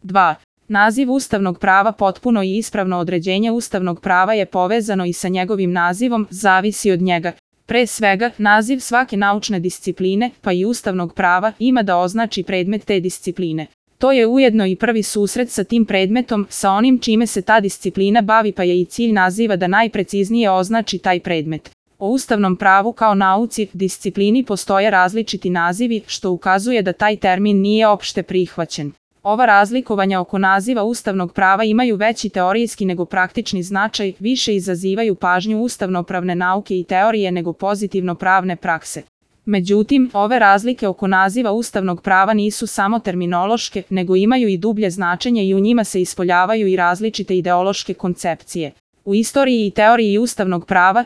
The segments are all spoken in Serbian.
2. Naziv ustavnog prava. Potpuno i ispravno određenje ustavnog prava je povezano i sa njegovim nazivom, zavisi od njega. Pre svega, naziv svake naučne discipline, pa i ustavnog prava, ima da označi predmet te discipline. To je ujedno i prvi susret sa tim predmetom, sa onim čime se ta disciplina bavi, pa je i cilj naziva da najpreciznije označi taj predmet. O ustavnom pravu kao nauci, disciplini postoje različiti nazivi, što ukazuje da taj termin nije opšte prihvaćen. Ova razlikovanja oko naziva ustavnog prava imaju veći teorijski nego praktični značaj, više izazivaju pažnju ustavnopravne nauke i teorije nego pozitivno pravne prakse. Međutim, ove razlike oko naziva ustavnog prava nisu samo terminološke, nego imaju i dublje značenje i u njima se ispoljavaju i različite ideološke koncepcije. U istoriji i teoriji ustavnog prava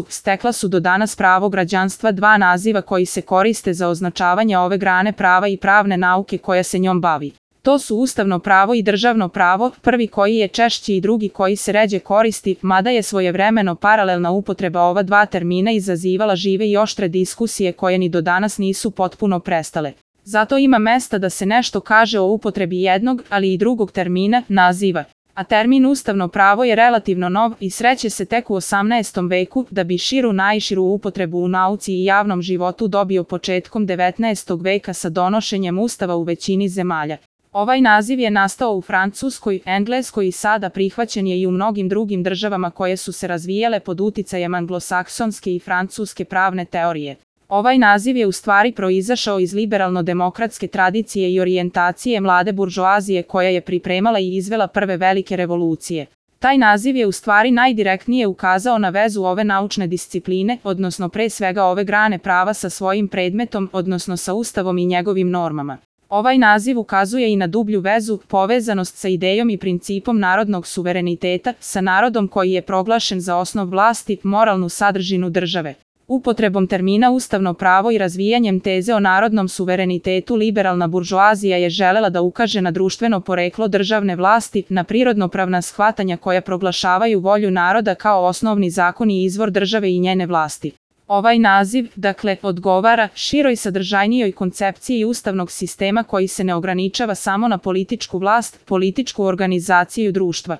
stekla su do danas pravo građanstva dva naziva koji se koriste za označavanje ove grane prava i pravne nauke koja se njom bavi. To su ustavno pravo i državno pravo, prvi koji je češći i drugi koji se ređe koristi, mada je svojevremeno paralelna upotreba ova dva termina izazivala žive i oštre diskusije koje ni do danas nisu potpuno prestale. Zato ima mesta da se nešto kaže o upotrebi jednog, ali i drugog termina, naziva. A termin ustavno pravo je relativno nov i sreće se tek u 18. veku, da bi najširu upotrebu u nauci i javnom životu dobio početkom 19. veka sa donošenjem ustava u većini zemalja. Ovaj naziv je nastao u Francuskoj, Engleskoj i sada prihvaćen je i u mnogim drugim državama koje su se razvijale pod uticajem anglosaksonske i francuske pravne teorije. Ovaj naziv je u stvari proizašao iz liberalno-demokratske tradicije i orijentacije mlade buržoazije koja je pripremala i izvela prve velike revolucije. Taj naziv je u stvari najdirektnije ukazao na vezu ove naučne discipline, odnosno pre svega ove grane prava sa svojim predmetom, odnosno sa Ustavom i njegovim normama. Ovaj naziv ukazuje i na dublju vezu, povezanost sa idejom i principom narodnog suvereniteta, sa narodom koji je proglašen za osnov vlasti, moralnu sadržinu države. Upotrebom termina ustavno pravo i razvijanjem teze o narodnom suverenitetu liberalna buržoazija je želela da ukaže na društveno poreklo državne vlasti, na prirodnopravna shvatanja koja proglašavaju volju naroda kao osnovni zakon i izvor države i njene vlasti. Ovaj naziv, dakle, odgovara široj sadržajnijoj koncepciji ustavnog sistema koji se ne ograničava samo na političku vlast, političku organizaciju društva.